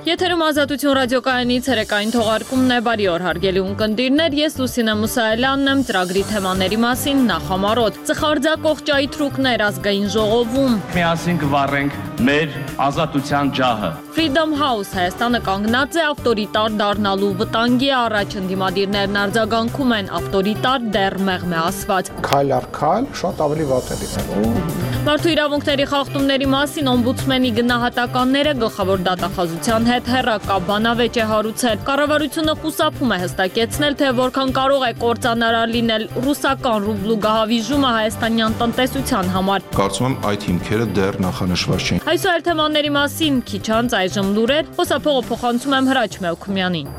Եթերում Ազատություն ռադիոկայանի ցերեկային թողարկումն է, բարի օր հարգելի ունկնդիրներ, ես Լուսինե Մուսայելյանն եմ, ծրագրի թեմաների մասին նախամարոտ։ Ծխարձակող ճայթրուկներ ազգային ժողովում։ Միասին կվառենք մեր ազատության ջահը։ Freedom House Հայաստանը կանգնած է ավտորիտար դառնալու վտանգի առաջ, ընդդիմադիրներն արձագանքում են ավտորիտար դեռ մեղմ է ասված։ Քայլ առ քայլ շատ ավելի վատ է լինելու։ Մարդու իրավունքների խախտումների մասին օմբուդսմենի գնահատականները գլխավոր դատախազության հետ հեռակա բանավեճ է հարուցել։ Կառավարությունը խուսափում է հստակեցնել, թե որքան կարող է կործանարար լինել ռուսական ռուբլու գահավիժումը հայաստանյան տնտեսության համար։ Կարծում եմ այդ հիմքերը դեռ նախանշված չեն։ Այսօր թեմաների մասին քիչ անց այժմ լուրեր, խոսափողը փոխանցում եմ Հրաչ Մելքումյանին։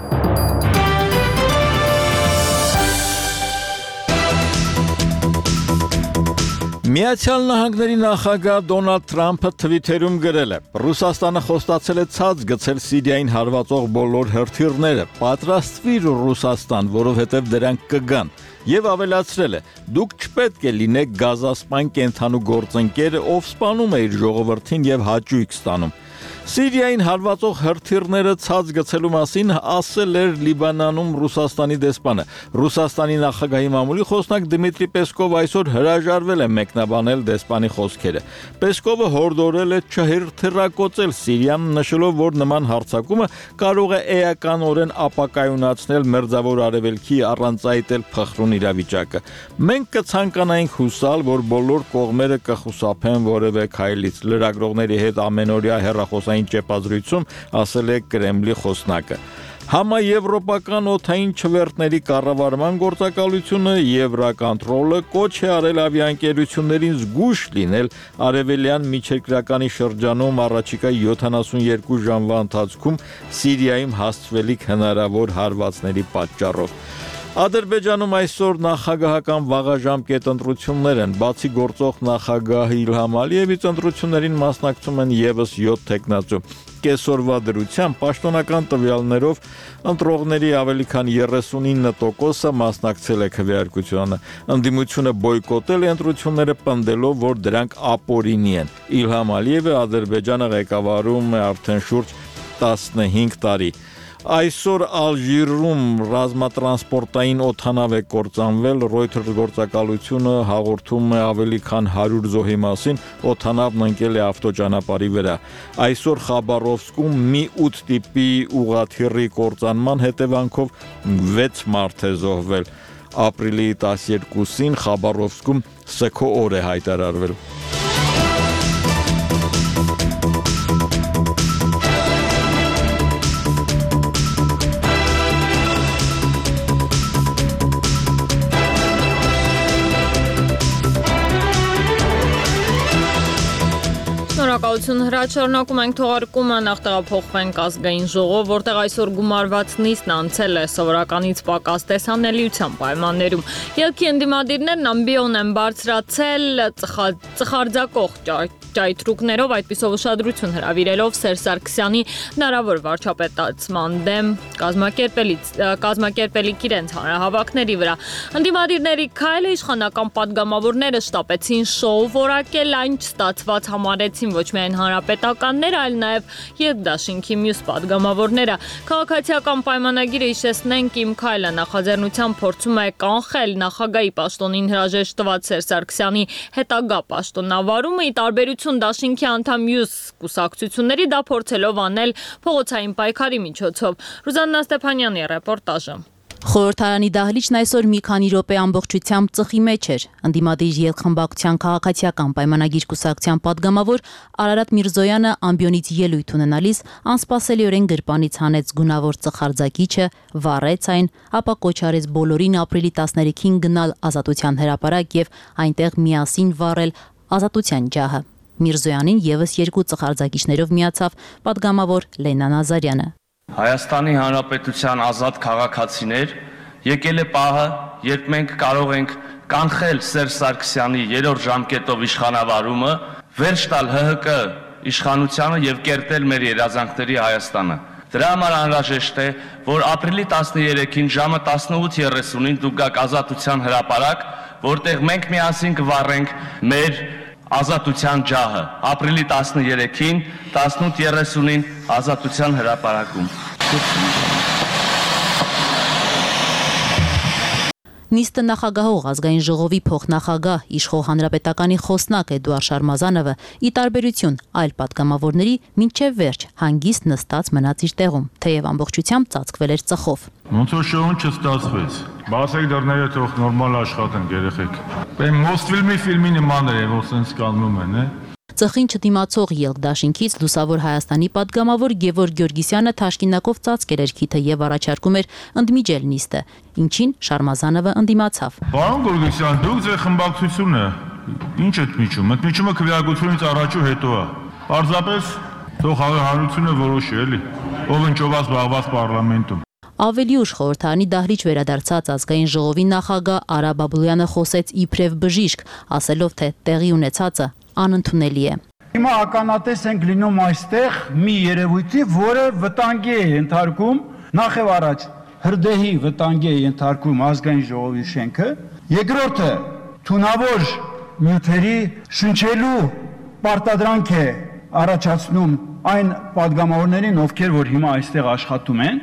Միացյալ Նահանգների նախագահ Դոնալդ Թրամփը թվիթերում գրել է. Ռուսաստանը խոստացել է ցած գցել Սիրիային հարվածող բոլոր հրթիռները, պատրաստվիր Ռուսաստան, որովհետև դրանք կգան, եւ ավելացրել է. դուք չպետք է լինեք գազասպան կենթանու գործընկերը, ով սպանում է իր ժողովրդին եւ հաճույք ստանում։ Սիրիային հարվածող հրթիռները ցած գցելու մասին ասել էր Լիբանանում Ռուսաստանի դեսպանը։ Ռուսաստանի նախագահի մամուլի խոսնակ Դմիտրի Պեսկովը այսօր հրաժարվել է մեկնաբանել դեսպանի խոսքերը։ Պեսկովը հորդորել է չհրթիռակոծել Սիրիան, նշելով, որ նման հարձակումը կարող է էականորեն ապակայունացնել Մերձավոր Արևելքի առանց այտել փխրուն իրավիճակը։ Մենք կցանկանայինք հուսալ, որ բոլոր կողմերը կխուսափեն որևէ քայլից։ Լրագրողների հետ ամենօրյա հեռախոսային ճեպազրույցում ասել է Կրեմլի խոսնակը։ Համաեվրոպական օդային չվերթների կառավարման գործակալությունը Եվրոկոնտրոլը կոչ է արել ավիաընկերություններին զգույշ լինել արևելյան միջերկրականի շրջանում առաջիկա 72 ժամվա ընթացքում Սիրիայում հասցվելիք հնարավոր հարվածների պատճառով։ Ադրբեջանում այսօր նախագահական վաղաժամկետ ընտրություններ են, բացի գործող նախագահ Իլհամ Ալիևից ընտրություններին մասնակցում են եւս 7 թեկնածու։ Կեսօրվա դրությամբ պաշտոնական տվյալներով ընտրողների ավելի քան 39%-ը մասնակցել է քվեարկությանը։ Ընդդիմությունը բոյկոտել է ընտրությունները, պնդելով, որ դրանք ապօրինի են։ Իլհամ Ալիևը Ադրբեջանը ղեկավարում է արդեն շուրջ 15 տարի։ Այսօր Ալժիրում ռազմատրանսպորտային օդանավ է կործանվել, Reuters գործակալությունը հաղորդում է ավելի քան 100 զոհի մասին, օդանավն ընկել է ավտոճանապարհի վրա։ Այսօր Խաբարովսկում մի 8 տիպի ուղղաթիռի կործանման հետևանքով 6 մարդ է զոհվել։ Ապրիլի 12-ին Խաբարովսկում սգո օր է հայտարարվել։ Շնորհակալություն Հրաչ, շարունակում ենք թողարկումը, նախ տեղափոխվենք ազգային ժողով, որտեղ այսօր գումարված նիստն անցել է սովորականից պակաս տեսանելիության պայմաններում։ Ելքի ընդդիմադիրներն ամբիոն են բարձրացել ծխարձակող ճայթրուկներով, այդպիսով ուշադրություն հրավիրելով Սերժ Սարգսյանի հնարավոր վարչապետացման դեմ կազմակերպելիք իրենց հանրահավաքների վրա։ Ընդդիմադիրների քայլը իշխանական պատգամավորները շտապեցին շոու որակել, այն չստացված համարեցին ոչ միայն հանրապետականները, այլ նաև երկդաշինքի մյուս պատգամավորները։ Քաղաքացիական պայմանագիրը հիշեցնենք Իմ քայլը նախաձեռնությամբ փորձում է կանխել նախագահի պաշտոնին հրաժեշտ տված Սերժ Սարգսյանի հետագա պաշտոնավարումը, ի տարբերություն դաշինքի անդամ մյուս կուսակցությունների, դա փորձելով անել փողոցային պայքարի միջոցով։ Ռուզաննա Ստեփանյանի ռեպորտաժը։ Խորհրդարանի դահլիճն այսօր մի քանի րոպե ամբողջությամբ ծխի մեջ էր։ Ընդդիմադիր ելքխմբակցության քաղաքացիական պայմանագիր կուսակցության պատգամավոր Արարատ Միրզոյանը ամբիոնից ելույթ ունենալիս անսպասելիորեն գրպանից հանեց գունավոր ծխարձակիչը, վառեց այն, ապա կոչ արեց բոլորին ապրիլի 13-ին գնալ Ազատության հրապարակ եւ այնտեղ միասին վառել Ազատության ջահը։ Միրզոյանին եւս 2 ծխարձակիչներով միացավ պատգամավոր Լենա Նազարյանը։ Հայաստանի Հանրապետության ազատ քաղաքացիներ, եկել է պահը, երբ մենք կարող ենք կանխել Սերժ Սարգսյանի 3-րդ ժամկետով իշխանավարումը, վերջ տալ ՀՀԿ իշխանությանը եւ կերտել մեր երազանքների Հայաստանը։ Դրա համար անհրաժեշտ է, որ ապրիլի 13-ին ժամը 18:30-ին դուք գաք Ազատության հրապարակ, որտեղ մենք միասին կվառենք մեր Ազատության ջահը, ապրիլի 13-ին, 18:30-ին Ազատության հրապարակում։ Նիստը նախագահող ազգային ժողովի փոխնախագահ իշխող հանրապետականի խոսնակ Էդուարդ Շարմազանովը ի տարբերություն այլ պատգամավորների մինչև վերջ հանգիստ նստած մնաց իր տեղում, թեև ամբողջությամբ ծածկվել էր ծխով։ Ոնց որ շոուն չստացվեց։ Բացեք դռները, թող նորմալ աշխատեն երեխեք։ Բեմ Մոսֆիլմի ֆիլմի նման է, որ սենց կաննում են, Ծխին չդիմացող ելք դաշինքից լուսավոր Հայաստանի պատգամավոր Գևորգ Գյորգիսյանը թաշկինակով ծածկել էր քիթը եւ առաջարկում էր ընդմիջել նիստը, ինչին Շարմազանովը ընդդիմացավ։ Պարոն Գորգիսյան, դուք ձեր խմբակցությունը ինչ ընդմիջում։ Ընդմիջումը քվեարկությունից առաջ ու հետո է։ Պարզապես թող հանրությունը որոշի, էլի, ով ընճոված զբաղված պարլամենտում։ Ավելի ուշ խորհրդարանի դահլիճ վերադարձած ազգային ժողովի նախագահ Արա Բաբլոյանը խոսեց իբրև բժիշկ, ասելով թե տեղի ունեցածը անընդունելի է։ Հիմա ականատես ենք լինում այստեղ մի երևույթի, որը վտանգի է ենթարկում, նախ եւ առաջ հրդեհի վտանգի է ենթարկում ազգային ժողովի շենքը, երկրորդը թունավոր նյութերի շնչելու պարտադրանք է առաջացնում այն պատգամավորներին, ովքեր որ հիմա այստեղ աշխատում են։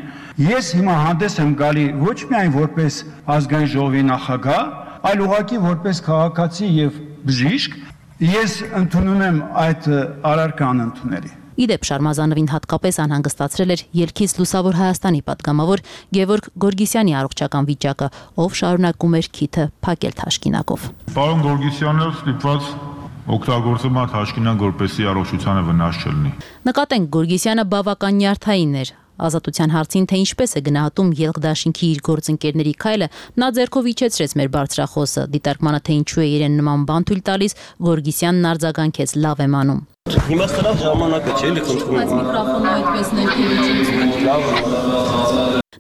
Ես հիմա հանդես եմ գալի ոչ միայն որպես ազգային ժողովի նախագահ, այլ ուղղակի որպես քաղաքացի եւ բժիշկ, ես ընդունում եմ այդ արարքան ընդունելի։ Իդեպ Շարմազանովին հատկապես անհանգստացրել էր ելքից լուսավոր Հայաստանի պատգամավոր Գևորգ Գորգիսյանի առողջական վիճակը, ով շարունակում էր քիթը փակել թաշկինակով։ Պարոն Գորգիսյանը ստիպված օգտագործում է թաշկինակ, որպեսզի առողջությանը վնաս չլինի։ Նկատենք Գորգիսյանը բավական նյարդային էր։ Ազատության հարցին թե ինչպես է գնահատում ելք դաշինքի իր գործընկերների քայլը, նա ձեռքով իջեցրեց մեր բարձրախոսը, դիտարկմանը թե ինչու է իրեն նման բան թույլ տալիս, Գորգիսյանն արձագանքեց լավ եմ անում։ Հիմա սրանց ժամանակը չէ, էլի խնդրում եմ։ Բայց միկրոֆոնը այդպես ներքևից։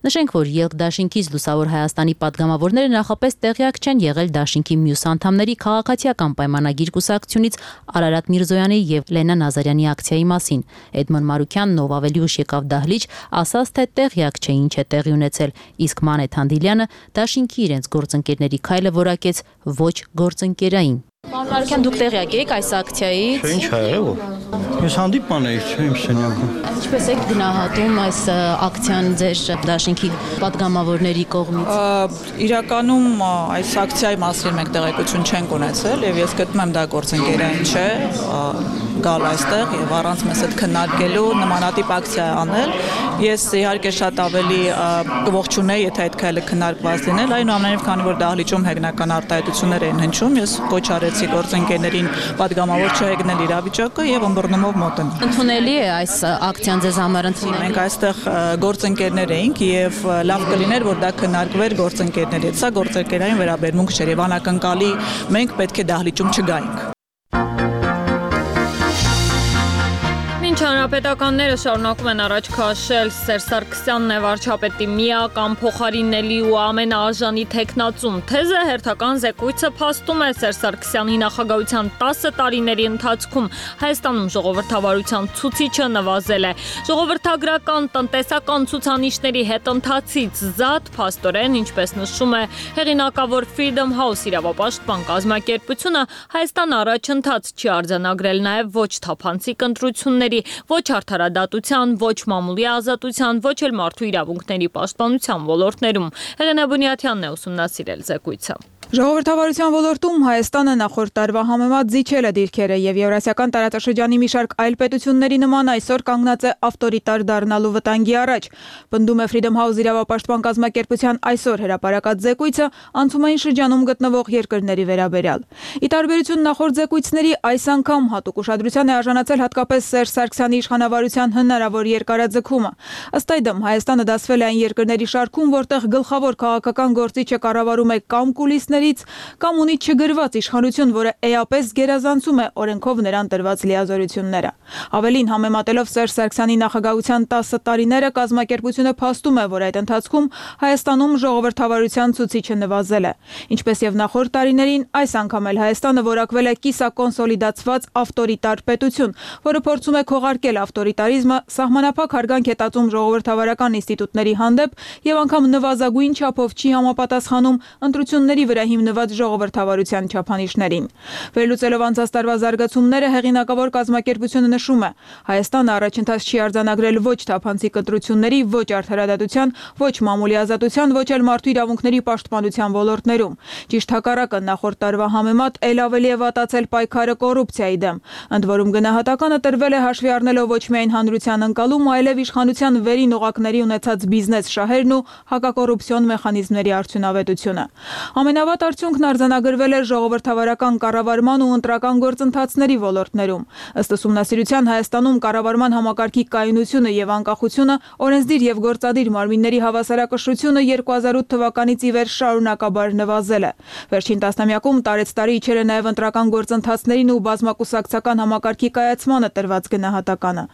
Նշենք, որ ելք դաշինքից լուսավոր Հայաստանի պատգամավորները նախապես տեղյակ չեն եղել դաշինքի մյուս անդամների քաղաքացիական պայմանագիր կուսակցությունից Արարատ Միրզոյանի եւ Լենա Նազարյանի ակցիայի մասին։ Էդմոն Մարուկյանն, ով ավելի ուշ եկավ դահլիճ, ասաց, թե տեղյակ չէ ինչ է տեղի ունեցել, իսկ Մանեթ Հանդիլյանը դաշինքի իրենց գործընկերների քայլը որակեց ոչ գործընկերային։ Պարոն Մարուկյան, դուք տեղյակ եք այս ակցիայից։ Ինչ ա եղել։ Ես հանդիպան էի, չէ՞ իմ սենյակում։ Ինչպես եք գնահատում այս ակցիան ձեր դաշինքի պատգամավորների կողմից։ Իրականում այս ակցիայի մասին մենք տեղեկություն չենք ունեցել եւ ես գտնում եմ դա գործընկերային չէ, գալ այստեղ եւ առանց մեզ հետ քննարկելու նմանատիպ ակցիա անել։ Ես իհարկե շատ ավելի կողջունեի, եթե այդ քայլը քննարկված լիներ, այնուամենայնիվ քանի որ դահլիճում հեգնական արտահայտություններ են հնչում, ես կոչ արեցի գործընկերներին պատգամավոր չհեգնել իրավիճակը եւ ըմբռնումով մոտենալ։ Ընդունելի է այս ակցիան ձեզ համար ընդունելի։ Մենք այստեղ գործընկերներ էինք եւ լավ կլիներ, որ դա քննարկվեր գործընկերների հետ։ Սա գործընկերային վերաբերմունք չէր եւ անակնկալի մենք պետք է դահլիճում չգայինք։ Մինչ հանրապետականները շարունակում են առաջ քաշել Սերժ Սարգսյանն է վարչապետի միական փոխարինելի ու ամենաարժանի թեկնածուն թեզը, հերթական զեկույցը փաստում է Սերժ Սարգսյանի նախագահության 10 տարիների ընթացքում Հայաստանում ժողովրդավարության ցուցիչը նվազել է։ Ժողովրդագրական տնտեսական ցուցանիշների հետընթացից զատ փաստորեն, ինչպես նշում է հեղինակավոր Freedom House իրավապաշտպան կազմակերպությունը, Հայաստան առաջընթաց չի արձանագրել նաև ոչ թափանցիկ ընտրությունների, ոչ արդարադատության, ոչ մամուլի ազատության, ոչ էլ մարդու իրավունքների պաշտպանության ոլորտներում։ Հեղինե Բունյաթյանն է ուսումնասիրել զեկույցը։ Ժողովրդավարության ոլորտում Հայաստանը նախորդ տարվա համեմատ զիջել է դիրքերը եւ Եվրասիական տարածաշրջանի մի շարք այլ պետությունների նման այսօր կանգնած է ավտորիտար դառնալու վտանգի առաջ։ Պնդում է Freedom House իրավապաշտպան կազմակերպության այսօր հրապարակած զեկույցը անցումային շրջանում գտնվող երկրների վերաբերյալ։ Ի տարբերություն նախորդ զեկույցների, այս անգամ հատուկ ուշադրության է արժանացել հատկապես Սերժ Սարգսյանի իշխանավարության հնարավոր երկարաձգումը։ Ըստ այդմ Հայաստանը դասվել է այն երկրների շարքում, որտեղ գլխավոր քաղաքական գործիչը կառավարում է կամ կուլիսներից, կամ ունի չգրված իշխանություն, որը էապես գերազանցում է օրենքով նրան տրված լիազորությունները։ Ավելին, համեմատելով Սերժ Սարգսյանի նախագահության 10 տարիները, կազմակերպությունը փաստում է, որ այդ ընթացքում Հայաստանում ժողովրդավարության ցուցիչը նվազել է։ Ինչպես եւ նախորդ տարիներին, այս անգամ էլ Հայաստանը որակվել է կիսակոնսոլիդացված ավտորիտար պետություն, որը փորձում է քողարկել ավտորիտարիզմը, սահմանափակ հարգանք է տածում ժողովրդավարական ինստիտուտների հանդեպ եւ անգամ նվազագույն չափով չի համապատասխանում ընտրությունների վրա հիմնված ժողովրդավարության չափանիշներին։ Վերլուծելով անցած տարվա զարգացումները, հեղինակավոր կազմակերպությունը նշում է. Հայաստանը առաջընթաց չի արձանագրել ոչ թափանցիկ ընտրությունների, ոչ արդարադատության, ոչ մամուլի ազատության, ոչ էլ մարդու իրավունքների պաշտպանության ոլորտներում։ Ճիշտ հակառակը, նախորդ տարվա համեմատ ել ավելի է վատացել պայքարը կոռուպցիայի դեմ։ Ընդ որում գնահատականը տրվել է հաշվի առնելով ոչ միայն հանրության ընկալում, այլև իշխանության վերին օղակների ունեցած բիզնես շահերն ու հակակոռուպցիոն մեխանիզմների արդյունավետությունը։ Ամենավատ արդյունքն արձանագրվել է ժողովրդավարական կառավարման ու ընտրական գործընթացների ոլորտներում։ Ըստ ուսումնասիրության Հայաստանում կառավարման համակարգի կայունությունը եւ անկախությունը, օրենսդիր եւ գործադիր մարմինների հավասարակշռությունը 2008 թվականից ի վեր շարունակաբար նվազել է։ Վերջին տասնամյակում տարեցտարի իջել է նաեւ ընտրական գործընթացներին ու բազմակուսակցական համակարգի կայացմանը տրված գնահատականը։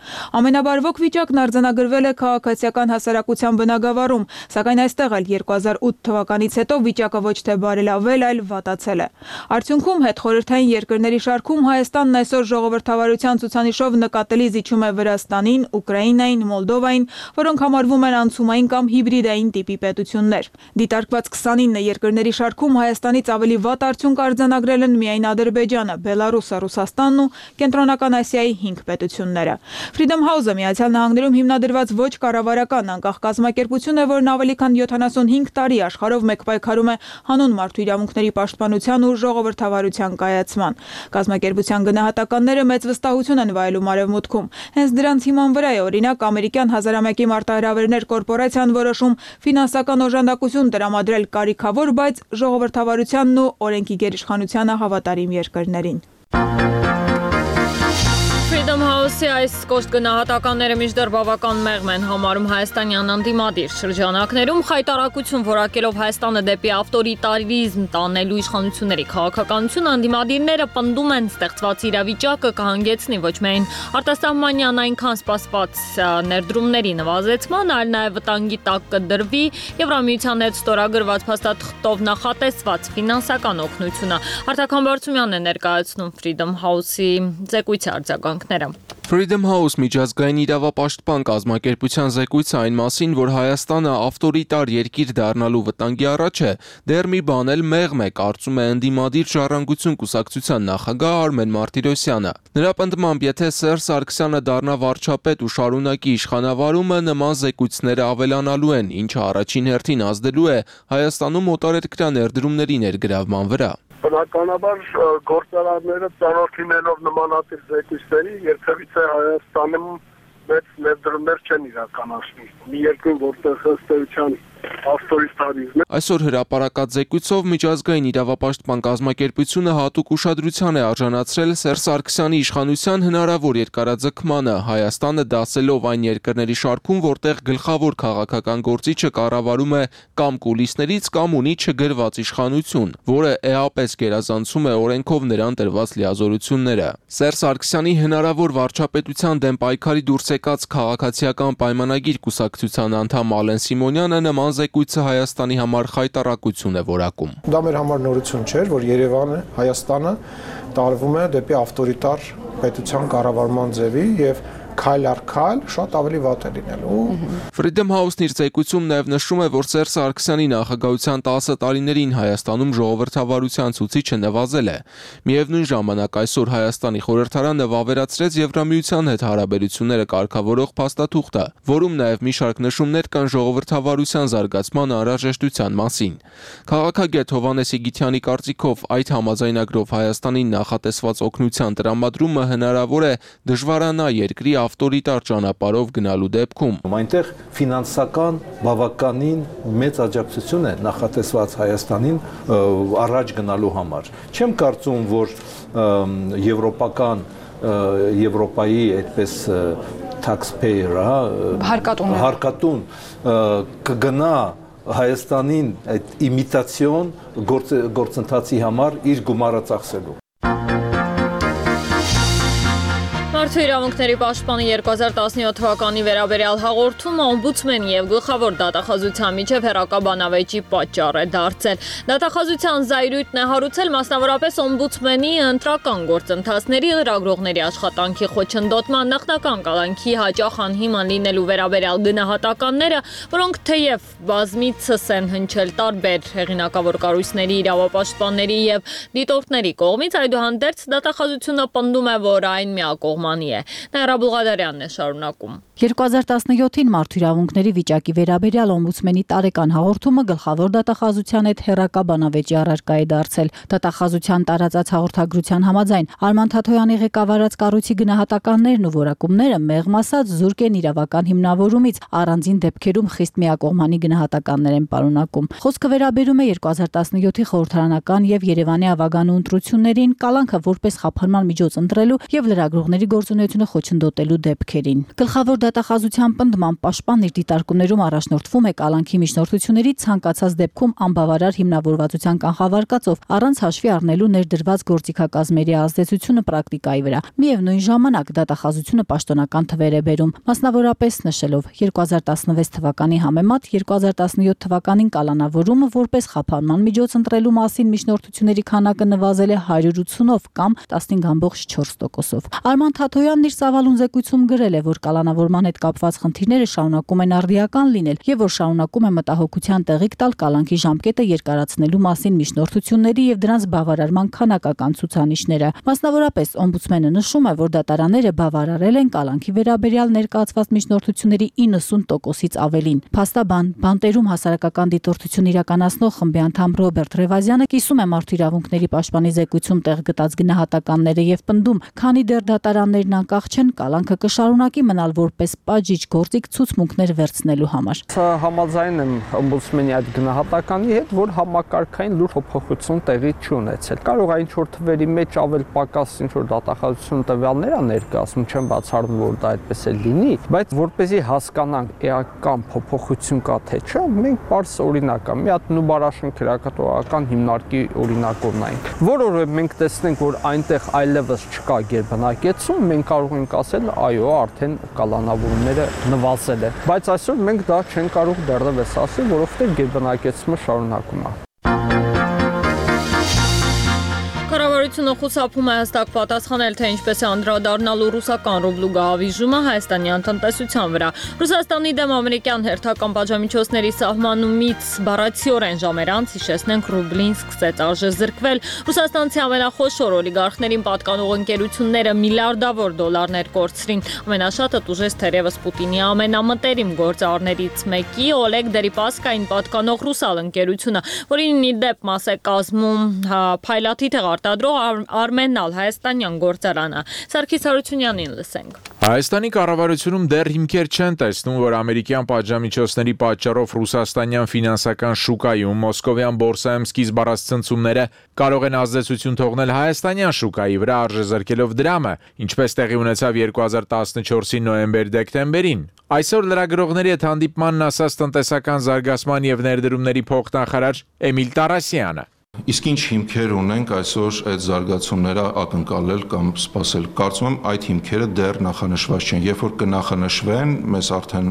Ամենաբարվոք վիճակն արձանագրվել է քաղաքացիական հասարակության բնագավառում, սակայն այստեղ էլ 2008 թվականից հետո վիճակը ոչ թե բարելավել, այլ վատացել է։ Արդյունքում հետխորհրդային երկրների շարքում Հայաստանն այսօր ժողովրդավարության ցուցանիշով նկատելի զիջում է Վրաստանին, Ուկրաինային, Մոլդովային, որոնք համարվում են անցումային կամ հիբրիդային տիպի պետություններ։ Դիտարկված 29 երկրների շարքում Հայաստանից ավելի վատ արդյունք արձանագրել են միայն Ադրբեջանը, Բելարուսը, Ռուսաստանն ու Կենտրոնական Ասիայի 5 պետությունները։ Freedom House-ը Միացյալ Նահանգներում հիմնադրված ոչ կառավարական անկախ կազմակերպություն է, որն ավելի քան 75 տարի աշխարհով մեկ պայքարում է հանուն մարդու իրավունքների պաշտպանության ու ժողովրդավարության կայացման։ Կազմակերպության գնահատականները մեծ վստահություն են վայելում Արևմուտքում։ Հենց դրանց հիման վրա է օրինակ ամերիկյան հազարամյակի մարտահրավերներ կորպորացիան որոշում ֆինանսական օժանդակություն տրամադրել կարիքավոր, բայց ժողովրդավարությանն ու օրենքի գերիշխանությանը հավատարիմ երկրներին։ Freedom House-ի այս կոշտ գնահատականները մինչդեռ բավական մեղմ են համարում հայաստանյան ընդդիմադիր շրջանակներում, խայտարակություն որակելով Հայաստանը դեպի ավտորիտարիզմ տանելու իշխանությունների քաղաքականությունը, ընդդիմադիրները պնդում են ստեղծված իրավիճակը կհանգեցնի ոչ միայն արտասահմանյան այնքան սպասված ներդրումների նվազեցման, այլ նաև վտանգի տակ կդրվի Եվրամիության հետ ստորագրված փաստաթղթով նախատեսված ֆինանսական օգնությունը։ Արտական Բարծումյանն է ներկայացնում Freedom House-ի զեկույցի արձագանքները։ Freedom House միջազգային իրավապաշտպան կազմակերպության զեկույցը այն մասին, որ Հայաստանը ավտորիտար երկիր դառնալու վտանգի առաջ է, դեռ մի բան էլ մեղմ է, կարծում է ընդդիմադիր Ժառանգություն կուսակցության նախագահ Արմեն Մարտիրոսյանը։ Նրա պնդմամբ, եթե Սերժ Սարգսյանը դառնա վարչապետ ու շարունակի իշխանավարումը, նման զեկույցները ավելանալու են, ինչը առաջին հերթին ազդելու է Հայաստանում օտարերկրյա ներդրումների ներգրավման վրա։ Բնականաբար գործարանները ծանոթ նմանատիպ զեկույցների երբևիցե Հայաստանում մեծ ներդրումներ չեն իրականացնի։ Մի երկրում, որտեղ ըստ էության ավտորիտարիզմ է։ Այսօր հրապարակած զեկույցով միջազգային իրավապաշտպան կազմակերպությունը հատուկ ուշադրության է արժանացրել Սերժ Սարգսյանի իշխանության հնարավոր երկարաձգմանը, Հայաստանը դասելով այն երկրների շարքում, որտեղ գլխավոր քաղաքական գործիչը կառավարում է կամ կուլիսներից, կամ ունի չգրված իշխանություն, որը էապես գերազանցում է օրենքով նրան տրված լիազորությունները։ Սերժ Սարգսյանի հնարավոր վարչապետության դեմ պայքարի դուրս եկած քաղաքացիական պայմանագիր կուսակցության անդամ Ալեն Սիմոնյանը նման զեկույցը Հայաստանի համար խայտառակություն է որակում։ Դա մեր համար նորություն չէր, որ Երևանը, Հայաստանը տարվում է դեպի ավտորիտար պետության կառավարման ձևի եւ քայլ առ քայլ շատ ավելի վատ է լինելու։ Freedom House-ն իր զեկույցում նաև նշում է, որ Սերժ Սարգսյանի նախագահության 10 տարիներին Հայաստանում ժողովրդավարության ցուցիչը նվազել է։ Միևնույն ժամանակ այսօր Հայաստանի խորհրդարանը վավերացրեց Եվրամիության հետ հարաբերությունները կարգավորող փաստաթուղթը, որում նաև մի շարք նշումներ կան ժողովրդավարության զարգացման անհրաժեշտության մասին։ Քաղաքագետ Հովհաննես Իգիթյանի կարծիքով այդ համաձայնագրով Հայաստանին նախատեսված օգնության տրամադրումը հնարավոր է դժվարանա երկրի ավտորիտար ճանապարհով գնալու դեպքում։ Այնտեղ ֆինանսական բավականին մեծ աջակցություն է նախատեսված Հայաստանին առաջ գնալու համար։ Չեմ կարծում, որ Եվրոպայի այդպես taxpayer, հարկատուն կգնա Հայաստանին այդ իմիտացիոն գործընթացի համար իր գումարը ծախսելու։ Մարդու իրավունքների պաշտպանի 2017 թվականի վերաբերյալ հաղորդումը օմբուդսմենի եւ գլխավոր դատախազության միջև հեռակաբանավեճի պատճառ է դարձել։ Դատախազության զայրույթն է հարուցել մասնավորապես օմբուդսմենի ընտրական գործընթացների լրագրողների աշխատանքի խոչընդոտման, նախնական կալանքի հաճախ անհիմն լինելու վերաբերյալ գնահատականները, որոնք թեև բազմիցս են հնչել տարբեր հեղինակավոր կառույցների, իրավապաշտպանների եւ դիտորդների կողմից, այդուհանդերձ դատախազությունը պնդում է, որ այն միակողմանի է։ Նաիրա Բուլղադարյանն է շարունակում։ 2017-ին մարդու իրավունքների վիճակի վերաբերյալ օմբուդսմենի տարեկան հաղորդումը գլխավոր դատախազության հետ հեռակաբանավեճի առարկա է դարձել։ Դատախազության տարածած հաղորդագրության համաձայն Արման Թաթոյանի ղեկավարած կառույցի գնահատականներն ու որակումները մեղմ ասած զուրկ են իրավական հիմնավորումից, առանձին դեպքերում խիստ միակողմանի գնահատականներ են պարունակում։ Խոսքը վերաբերում է 2017-ի խորհրդարանական եւ Երևանի ավագանու ընտրություններին, կալանքը որպես խափանման միջոց ընտրելու եւ լրագրողների գործունեությունը խոչընդոտելու դեպքերին։ Գլխավոր դատախազության պնդման պաշտպանն իր դիտարկումներում առաջնորդվում է կալանքի միջնորդությունների ցանկացած դեպքում անբավարար հիմնավորվածության կանխավարկածով, առանց հաշվի առնելու ներդրված գործիքակազմերի ազդեցությունը պրակտիկայի վրա։ Միևնույն ժամանակ դատախազությունը պաշտոնական թվեր է բերում, մասնավորապես նշելով 2016 թվականի համեմատ 2017 թվականին կալանավորումը որպես խափանման միջոց ընտրելու մասին միջնորդությունների քանակը նվազել է 180-ով կամ 15.4%-ով։ Արման Թաթոյանն իր ծավալուն զեկույցում գրել է, որ կալանավորման հետ կապված խնդիրները շարունակում են արդիական լինել եւ որ շարունակում է մտահոգության տեղիք տալ կալանքի ժամկետը երկարացնելու մասին միջնորդությունների եւ դրանց բավարարման քանակական ցուցանիշները։ Մասնավորապես օմբուդսմենը նշում է, որ դատարանները բավարարել են կալանքի վերաբերյալ ներկայացված միջնորդությունների 90%-ից ավելին։ Փաստաբան, բանտերում հասարակական դիտորդություն իրականացնող խմբի անդամ Ռոբերտ Ռևազյանը կիսում է մարդու իրավունքների պաշտպանի զեկույցում տեղ գտած գնահատականները եւ պնդում, քանի դեռ դատարաններն անկախ չեն, կալանքը կշարունակի մնալ որպես պատժիչ գործիք ցուցմունքներ վերցնելու համար։ Համաձայն եմ օմբուդսմենի այդ գնահատականի հետ, որ համակարգային լուրջ փոփոխություն տեղի չունեցել։ Կարող է ինչ-որ թվերի մեջ ավել պակաս ինչ-որ դատախազություն տվյալներ ա ներկայացնում, չեմ բացառում, որ դա այդպես է լինի, բայց որպեսզի հասկանանք էական փոփոխություն կա թե չէ, մենք պարզ օրինակ մի հատ Նուբարաշեն քրեակատողական հիմնարկի օրինակ ունենք, որը մենք տեսնենք, որ այնտեղ այլևս չկա գերբնակեցում, մենք կարող ենք ասել, այո, արդեն կալանավորումները նվազել են, բայց այսօր մենք դա չենք կարող դեռևս ասել, որովհետև գերբնակեցումը շարունակում է։ Կառավարությունը խուսափում է հստակ պատասխանել, թե ինչպես է անդրադառնալու ռուսական ռուբլու գահավիժումը հայաստանյան տնտեսության վրա։ Ռուսաստանի դեմ ամերիկյան հերթական պատժամիջոցների սահմանումից բառացիորեն ժամեր անց հիշեցնենք ռուբլին սկսեց արժեզրկվել։ Ռուսաստանցի ամենախոշոր օլիգարխներին պատկանող ընկերությունները միլիարդավոր դոլարներ կորցրին։ Ամենաշատը տուժեց թերևս Պուտինի ամենամտերիմ գործարներից մեկի Օլեգ Դերիպասկային պատկանող ռուսալ ընկերությունը, որին ի դեպ մաս է կազմում փայլատի արտադրող Արմենալ հայաստանյան գործարանը։ Սարգիս Հարությունյանին լսենք։ Հայաստանի կառավարությունում դեռ հիմքեր չեն տեսնում, որ ամերիկյան պատժամիջոցների պատճառով ռուսաստանյան ֆինանսական շուկայում մոսկովյան բորսայում սկիզբ առած ցնցումները կարող են ազդեցություն թողնել հայաստանյան շուկայի վրա արժեզրկելով դրամը, ինչպես տեղի ունեցավ 2014-ի նոյեմբեր-դեկտեմբերին։ Այսօր լրագրողների հետ հանդիպմանն ասաց տնտեսական զարգացման եւ ներդրումների փոխնախարար Էմիլ Տարասյանը։ Իսկ ինչ հիմքեր ունենք այսօր այդ զարգացումները ակնկալել կամ սպասել։ Կարծում եմ այդ հիմքերը դեռ նախանշված չեն։ Երբ որ կնախանշվեն, մեզ արդեն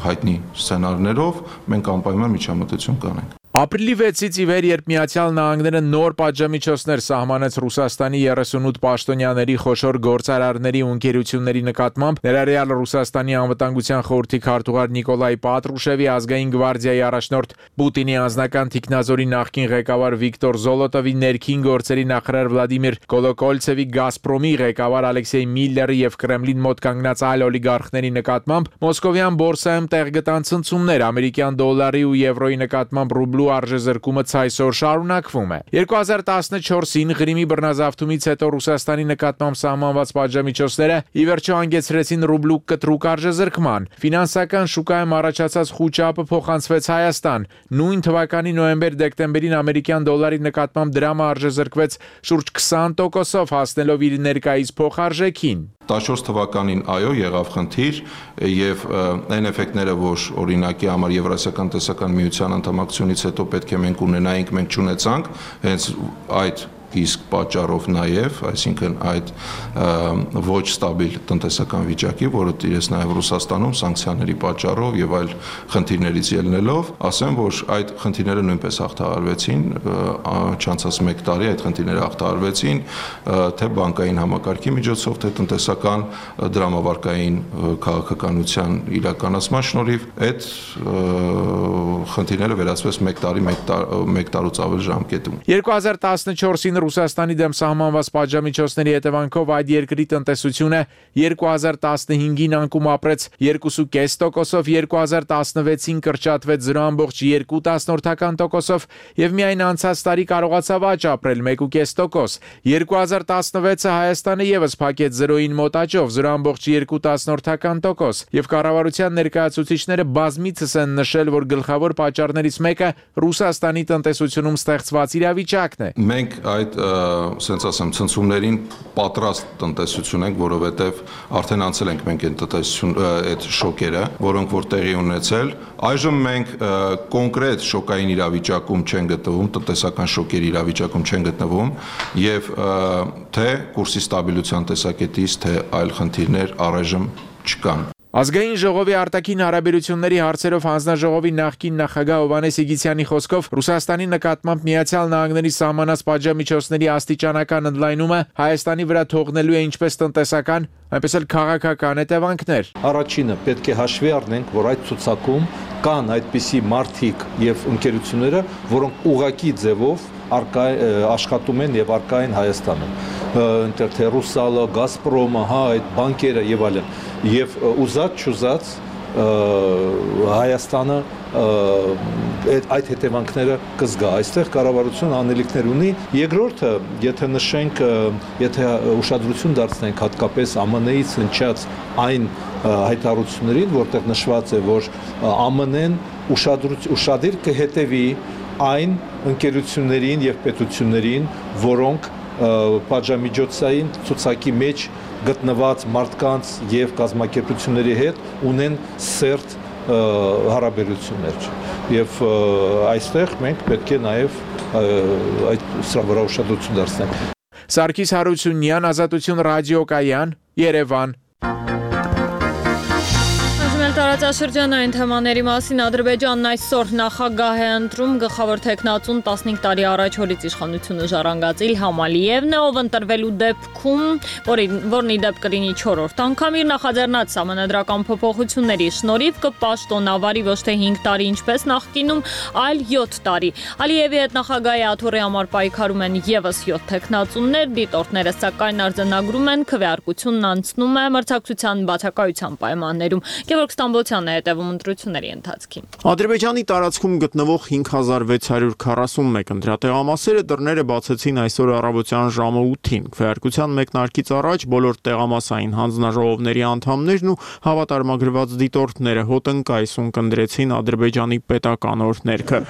հայտնի սցենարներով մենք անպայման միջամտություն կանենք։ Ապրիլի 6-ից ի վեր, երբ Միացյալ Նահանգները նոր պատժամիջոցներ սահմանեց Ռուսաստանի 38 պաշտոնյաների խոշոր գործարարների ու ընկերությունների նկատմամբ, ներառյալ Ռուսաստանի անվտանգության խորհրդի քարտուղար Նիկոլայ Պատրուշևի, ազգային գվարդիայի առաջնորդ Պուտինի անձնական թիկնազորի նախկին ղեկավար Վիկտոր Զոլոտովի, ներքին գործերի նախարար Վլադիմիր Կոլոկոլցևի, Գազպրոմի ղեկավար Ալեքսեյ Միլլերի եւ Կրեմլին մոտ կանգնած այլ օլիգարխների նկատմամբ մոսկովյան բորսայում տեղ գտան ցնցումներ, ամերիկյան դոլարի ու եվրոյի նկատմամբ ռուբլու արժեզրկումը ցայսօր շարունակվում է։ 2014-ին Ղրիմի բռնազավթումից հետո Ռուսաստանի նկատմամբ սահմանված պատժամիջոցները ի վերջո հանգեցրեցին ռուբլու կտրուկ արժեզրկման։ Ֆինանսական շուկայում առաջացած խուճապը փոխանցվեց Հայաստան։ Նույն թվականի նոյեմբեր-դեկտեմբերին ամերիկյան դոլարի նկատմամբ դրամը արժեզրկվեց շուրջ 20%-ով, հասնելով իր ներկայիս փոխարժեքին։ 14 թվականին այո եղավ խնդիր եւ այն էֆեկտները, որ օրինակի համար Եվրասիական տնտեսական միության անդամակցությունից հետո պետք է մենք ունենայինք, մենք չունեցանք, հենց այդ իսկ պատճառով նաև, այսինքն այդ ոչ ստաբիլ տնտեսական վիճակի, որը տիրեց նաև Ռուսաստանում սանկցիաների պատճառով եւ այլ խնդիրներից ելնելով, ասեմ, որ այդ խնդիրները նույնպես հաղթահարվեցին, չանցած 1 տարի այդ խնդիրները հաղթահարվեցին, թե բանկային համակարգի միջոցով, թե տնտեսական դրամավարկային քաղաքականության իրականացման շնորհիվ այդ խնդիրները վերացվեց 1 տարի, 1 տարուց ավել ժամկետում։ 2014-ին Ռուսաստանի դեմ սահմանված պատժամիջոցների հետևանքով այդ երկրի տնտեսությունը 2015-ին անկում ապրեց 2.5%-ով, 2016-ին կրճատվեց 0.2%-ով եւ միայն անցած տարի կարողացավ աճ ապրել 1.5%։ 2016-ը Հայաստանը եւս փակեց 0-ին մոտ աճով 0.2%, եւ կառավարության ներկայացուցիչները բազմիցս են նշել, որ գլխավոր պատճառներից մեկը Ռուսաստանի տնտեսությունում ստեղծված իրավիճակն է։ Մենք այդ, ասենց ասեմ, ցնցումներին պատրաստ տնտեսություն ենք, որովհետեւ արդեն անցել ենք մենք այդ շոկերը, որոնք որ տեղի ունեցել։ Այժմ մենք կոնկրետ շոկային իրավիճակում չեն գտնվում, տնտեսական շոկերի իրավիճակում չեն գտնվում եւ թե կուրսի ստաբիլության տեսակետից, թե այլ խնդիրներ առայժմ չկան։ Ազգային ժողովի արտաքին հարաբերությունների հարցերով հանձնաժողովի նախկին նախագահ Հովհաննես Իգիթյանի խոսքով Ռուսաստանի նկատմամբ Միացյալ Նահանգների սահմանած պատժամիջոցների աստիճանական ընդլայնումը Հայաստանի վրա թողնելու է ինչպես տնտեսական, այնպես էլ քաղաքական հետևանքներ։ Առաջինը պետք է հաշվի առնենք, որ այդ ցուցակում կան այդպիսի մարդիկ եւ ընկերությունները, որոնք ուղղակի ձևով աշխատում են եւ արկա են Հայաստանում։ Այնտեղ թե Ռուսալը, Գազպրոմը, այդ բանկերը եւ այլն։ Եվ ուզած-չուզած Հայաստանը այդ հետևանքները կզգա։ Այստեղ կառավարությունը անելիքներ ունի։ Երկրորդը, եթե նշենք, եթե ուշադրություն դարձնենք հատկապես ԱՄՆ-ից հնչած այն հայտարարություններին, որտեղ նշված է, որ ԱՄՆ-ն ուշադիր կհետևի այն ընկերություններին եւ պետություններին, որոնք պատժամիջոցային ցուցակի մեջ գտնված մարդկանց եւ կազմակերպությունների հետ ունեն սերտ հարաբերություններ։ Եվ այստեղ մենք պետք է նաեւ այդ սրա վրա ուշադրություն դարձնենք։ Սարգիս Հարությունյան, Ազատություն ռադիոկայան, Երևան։ Տարածաշրջանային թեմաների մասին Ադրբեջանն այսօր նախագահ է ընտրում գլխավոր տեխնացուն 15 տարի առաջ հորից իշխանությունը ժառանգած Իլհամ Ալիևն է, ով ընտրվելու դեպքում, որն ի դեպ կլինի 4-րդ անգամ իր նախաձեռնած սահմանադրական փոփոխությունների շնորհիվ կպաշտոնավարի ոչ թե 5 տարի ինչպես նախկինում, այլ 7 տարի։ Ալիևի հետ նախագահի աթոռի համար պայքարում են եւս 7 տեխնացուններ, դիտորդները սակայն արձանագրում են քվեարկությունն անցնում է մրցակցության բացակայության պայմաններում։ Ստամբոլցյանն է հետևում ընտրությունների ընթացքին։ Ադրբեջանի տարածքում գտնվող 5641 ընտրատեղամասերը դռները բացեցին այսօր առավոտյան ժամը 8-ին։ Քվեարկության մեկնարկից առաջ բոլոր տեղամասային հանձնաժողովների անդամներն ու հավատարմագրված դիտորդները հոտնկայս ունկնդրեցին Ադրբեջանի պետական օրհներգը։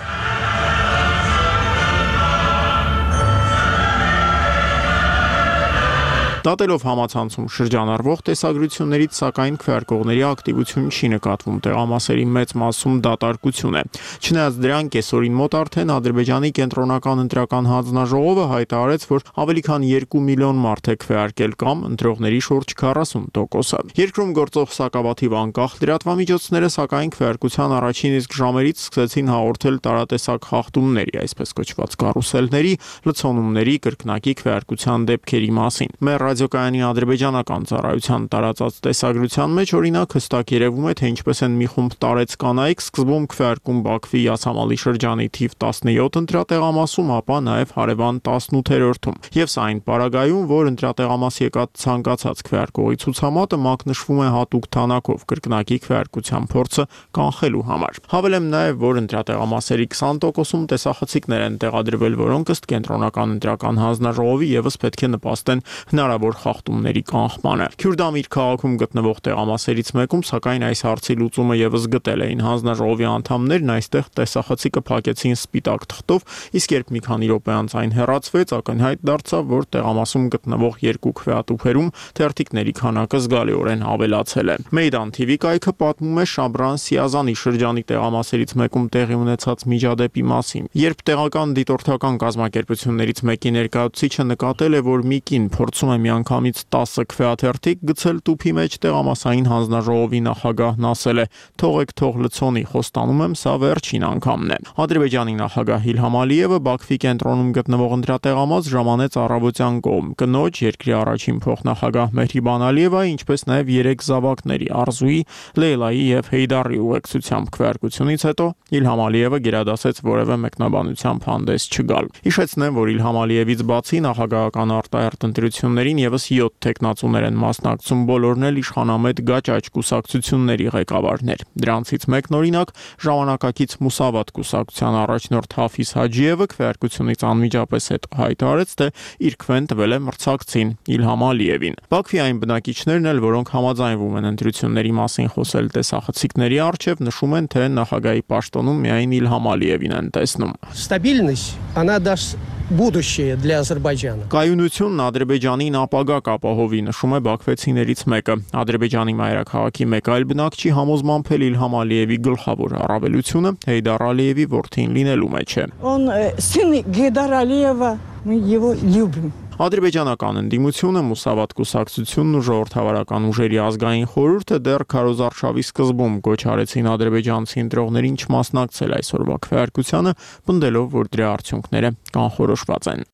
Դատելով համացանցում շրջանառվող տեսագրություններից, սակայն քվեարկողների ակտիվություն չի նկատվում, տեղամասերի մեծ մասում դատարկություն է։ Չնայած դրան կեսօրին մոտ արդեն Ադրբեջանի կենտրոնական ընտրական հանձնաժողովը հայտարարեց, որ ավելի քան 2 միլիոն մարդ է քվեարկել կամ ընտրողների շուրջ 40%-ը։ Երկրում գործող սակավաթիվ անկախ լրատվամիջոցները սակայն քվեարկության առաջին իսկ ժամերից սկսեցին հաղորդել տարատեսակ խախտումների, այսպես կոչված կարուսելների, լցոնումների, կրկնակի քվեարկության դեպքերի մասին։ Ռադիոկայանի ադրբեջանական ծառայության տարածած տեսագրության մեջ օրինակ հստակ երևում է, թե ինչպես են մի խումբ տարեց կանայք սկզբում քվեարկում Բաքվի Յասամալի շրջանի թիվ 17 ընտրատեղամասում, ապա նաև հարևան 18-րդում։ Եվ սա այն պարագայում, որ ընտրատեղամաս եկած ցանկացած քվեարկողի ցուցամատը մակնշվում է հատուկ թանակով կրկնակի քվեարկության փորձը կանխելու համար։ Հավելեմ նաև, որ ընտրատեղամասերի 20%-ում տեսախցիկներ են տեղադրվել, որոնք ըստ կենտրոնական ընտրական հանձնաժողովի եւս պետք է նպաստեն հնարավոր հնարավոր խախտումների կանխմանը։ Քյուրդամիր քաղաքում գտնվող տեղամասերից մեկում, սակայն այս հարցի լուծումը եւս գտել էին հանձնաժողովի անդամներն, այստեղ տեսախցիկը փակեցին սպիտակ թղթով, իսկ երբ մի քանի րոպե անց այն հեռացվեց, ակնհայտ դարձավ, որ տեղամասում գտնվող երկու քվեատուփերում թերթիկների քանակը զգալիորեն ավելացել է։ Մեյդան TV կայքը պատմում է Շաբրան Սիազանի շրջանի տեղամասերից մեկում տեղի ունեցած միջադեպի մասին։ Երբ տեղական դիտորդական կազմակերպություններից մեկի ներկայացուցիչը նկատել է, որ մի կին փորձում է միանգամից 10 քվեաթերթիկ գցել տուփի մեջ, տեղամասային հանձնաժողովի նախագահն ասել է. «Թողեք թող լցոնի, խոստանում եմ, սա վերջին անգամն է»։ Ադրբեջանի նախագահ Իլհամ Ալիևը Բաքվի կենտրոնում գտնվող ընտրատեղամաս ժամանեց առավոտյան կողմ։ Կնոջ երկրի առաջին փոխնախագահ Մեհրիբան Ալիևայի, ինչպես նաև 3 զավակների Արզուի, Լեյլայի եւ Հեյդարի ուղեկցությամբ քվեարկությունից հետո Իլհամ Ալիևը գերադասեց որևէ մեկնաբանությամբ հանդես չգալ։ Հիշեցնեմ, որ Իլհամ Ալիևից բացի նախագահական արտահերթ ընտրություններին եւս 7 տեխնացուներ են մասնակցում, բոլորն էլ իշխանամետ գաճաճ կուսակցությունների ղեկավարներ։ Դրանցից մեկն օրինակ ժամանակակից Մուսավատ կուսակցության առաջնորդ Հաֆիզ Հաջիևը քվեարկությունից անմիջապես հետո հայտարարեց, թե իր քվեն տվել է մրցակցին Իլհամ Ալիևին։ Բաքվի այն բնակիչներն էլ, որոնք համաձայնվում են ընտրությունների մասին խոսել տեսախցիկների առջև, նշում են, թե նախագահի պաշտոնում միայն Իլհամ Ալիևին են տեսնում։ Стабильность, она даст будущее для Азербайджана։ Կայունությունն Ադրբեջանին ապագա կապահովի, նշում է բաքվեցիներից մեկը։ Ադրբեջանի մայրաքաղաքի մեկ այլ բնակչի համոզմամբ էլ Իլհամ Ալիևի գլխավոր առավելությունը Հեյդար Ալիևի որդին լինելու մեջ է։ Он сын Гейдара Алиева, мы его любим։ Ադրբեջանական ընդդիմությունը, Մուսավատ կուսակցությունն ու ժողովրդավարական ուժերի ազգային խորհուրդը դեռ Քարոզ արշավի սկզբում կոչ արեցին ադրբեջանցի ընտրողներին չմասնակցել այսօրվա քվեարկությանը, պնդելով, որ դրա արդյունքները կանխորոշված են։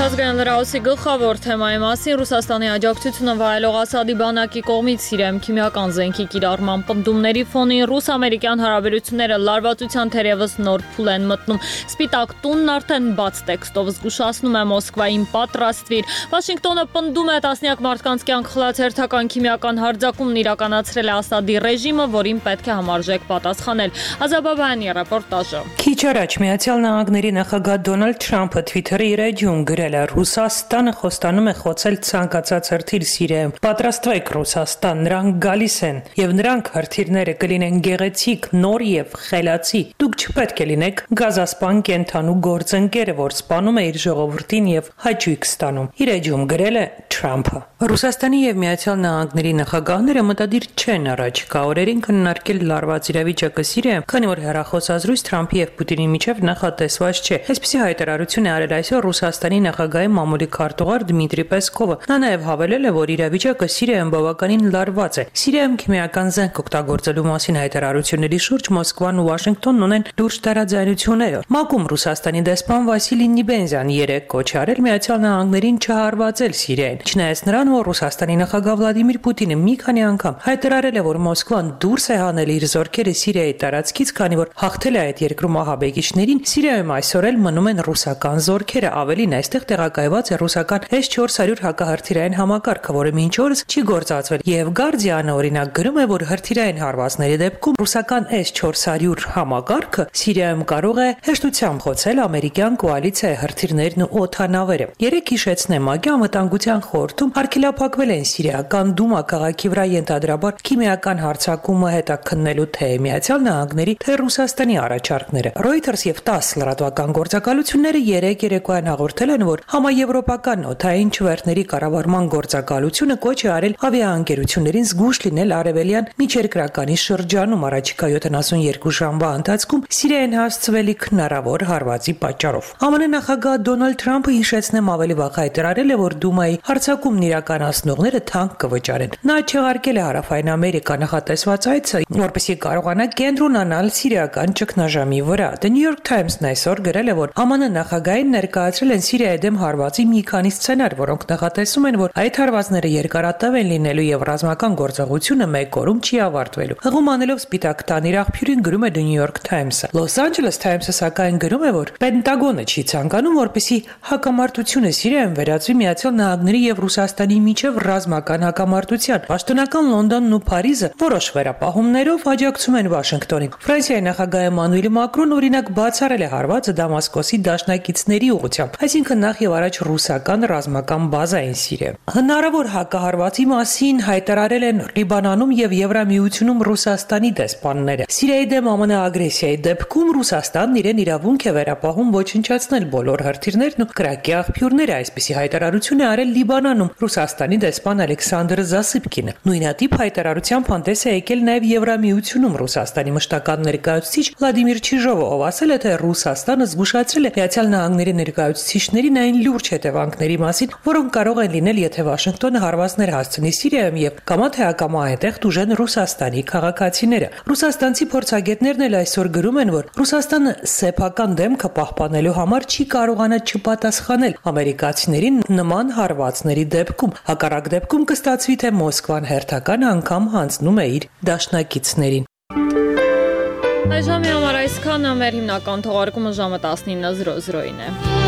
Միջազգային լրահոսի գլխավոր թեմայի մասին Ռուսաստանի աջակցությունը վայելող Ասադի բանակի կողմից Սիրիայում քիմիական զենքի կիրառման պնդումների ֆոնին ռուս-ամերիկյան հարաբերությունները լարվածության թերևս նոր փուլ են մտնում։ Սպիտակ տունն արդեն բաց տեքստով զգուշացնում է Մոսկվային պատրաստվիր։ Վաշինգտոնը պնդում է տասնյակ մարդկանց կյանք խլած հերթական քիմիական հարձակումն իրականացրել է Ասադի ռեժիմը, որին պետք է համարժեք պատասխանել։ Ազաբաբայանի ռեպորտաժը։ Քիչ առաջ Միացյալ Նահանգների նախագահ Դոնալդ Թրամփը Twitter-ի իր էջում գրել է. Ռուսաստանը խոստանում է խոցել ցանկացած հրթիռ Սիրիայում։ Պատրաստվեք Ռուսաստան, նրանք գալիս են, եւ նրանք հրթիռները կլինեն գեղեցիկ, նոր եւ խելացի։ Դուք չպետք է լինեք գազասպան կենթանու գործընկերը, որ սպանում է իր ժողովրդին եւ հաճույք ստանում։ Իր էջում գրել է Թրամփը։ Ռուսաստանի եւ Միացյալ Նահանգների նախագահները մտադիր չեն առաջիկա օրերին քննարկել լարված իրավիճակը Սիրիայում, քանի որ հեռախոսազրույց Թրամփի եւ Պուտինի միջև նախատեսված չէ։ Այսպիսի հայտարարություն է արել այսօր Ռուսաստանի նախագահի մամուլի քարտուղար Դմիտրի Պեսկովը։ Նա նաև հավելել է, որ իրավիճակը Սիրիայում բավականին լարված է։ Սիրիայում քիմիական զենք օգտագործելու մասին հայտարարությունների շուրջ Մոսկվան ու Վաշինգտոնն ունեն լուրջ տարաձայնություններ։ ՄԱԿ-ում Ռուսաստանի դեսպան Վասիլի Նիբենզյան երեկ կոչ արել Միացյալ Նահանգներին չհարվածել Սիրիային։ Չնայած նրան, որ Ռուսաստանի նախագահ Վլադիմիր Պուտինը մի քանի անգամ հայտարարել է, որ Մոսկվան դուրս է հանել իր զորքերը Սիրիայի տարածքից, քանի որ հաղթել է այդ երկրում ահաբեկիչներին, Սիրիայում այսօր էլ մնում են ռուսական զորքերը, ավելին այստեղ տեղակայված է ռուսական S-400 հակահրթիռային համակարգը, որը մինչ օրս չի գործածվել, եւ Guardian-ը օրինակ գրում է, որ հրթիռային հարվածների դեպքում ռուսական S-400 համակարգը Սիրիայում կարող է հեշտությամբ խոցել ամերիկյան կոալիցիայի հրթիռներն ու օդանավերը։ Երեք հիշեցնեմ, ՄԱԿ-ի անվտանգության խորհրդում արգելափակվել են Սիրիական Դումա քաղաքի վրա ենթադրաբար քիմիական հարձակումը հետաքննելու թե Միացյալ Նահանգների, թե Ռուսաստանի առաջարկները։ Reuters եւ 10 լրատվական գործակալությունները երեք երեկոյան հաղորդել են, որ համաեվրոպական օդային չվերթների կառավարման գործակալությունը կոչ է արել ավիաընկերություններին զգույշ լինել արևելյան միջերկրականի շրջանում առաջիկա 72 ժամվա ընթացքում Սիրիայեն հասցվելիք հնարավոր հարվածի պատճառով։ ԱՄՆ նախագահ Դոնալդ Թրամփը հիշեցնեմ ավելի վաղ հայտարարել է, որ Դումայի հարձակումն իրականացնողները թանկ կվճարեն։ Նա չեղարկել է Հարավային Ամերիկա նախատեսված այցը, որպեսզի կարողանա կենտրոնանալ սիրիական ճգնաժամի վրա։ The New York Times-ն այսօր գրել է, որ ԱՄՆ նախագահին ներկայացրել են Սիրիայի դեմ հարվածի մի քանի սցենար, որոնք նախատեսում են, որ այդ հարվածները երկարատև են լինելու եւ ռազմական գործողությունը մեկ օրում չի ավարտվելու։ Հղում անելով Սպիտակ տան իր աղբյուրին գրում է The New York Times-ը։ Los Angeles Times-ը սակայն գրում է, որ Պենտագոնը չի ցանկանում, որպեսզի հակամարտությունը Սիրիայում վերածվի Միացյալ Նահանգների եւ Ռուսաստանի միջև ռազմական հակամարտության։ Պաշտոնական Լոնդոնն ու Փարիզը որոշ վերապահումներով աջակցում են Վաշինգտոնին։ Ֆրանսիայի նախագահ Էմանուել Մակրոն օրինակ բացառել է հարվածը Դամասկոսի դաշնակիցների ուղղությամբ, այսինքն նախ եւ առաջ ռուսական ռազմական բազային Սիրիայում։ Հնարավոր հակահարվածի մասին հայտարարել են Լիբանանում եւ Եվրամիությունում Ռուսաստանի դեսպանները։ Սիրիայի դեմ ԱՄՆ ագրեսիայի դեպքում Ռուսաստանն իրեն իրավունք է վերապահում ոչնչացնել բոլոր հրթիռներն ու կրակի աղբյուրները, այսպիսի հայտարարություն է արել Լիբանանում Ռուսաստանի դեսպան Ալեքսանդր Զասիպկինը։ Նույնատիպ հայտարարությամբ հանդես է եկել նաեւ Եվրամիությունում Ռուսաստանի մշտական ներկայացուցիչ Վլադիմիր Չիժովը, ով ասել է, թե Ռուսաստանը զգուշացրել է ԱՄՆ-ի ներկայացուցիչներին այն լուրջ հետևանքների մասին, որոնք կարող են լինել, եթե Վաշինգտոնը հարվածներ հասցնի Սիրիայում եւ կամա թե ակամա այնտեղ դուժեն Ռուսաստանի քաղաքացիները։ Ռուսաստանցի փորձագետներն էլ այսօր գրում են, որ Ռուսաստանը սեփական դեմքը պահպանելու համար չի կարողանա չպատասխանել ամերիկացիներին նման հարվածների դեպքում։ Հակառակ դեպքում կստացվի, թե Մոսկվան հերթական անգամ հանձնում է իր դաշնակիցներին։ Այժմ համար այսքանը, մեր հիմնական թողարկումը ժամը 19:00-ին է։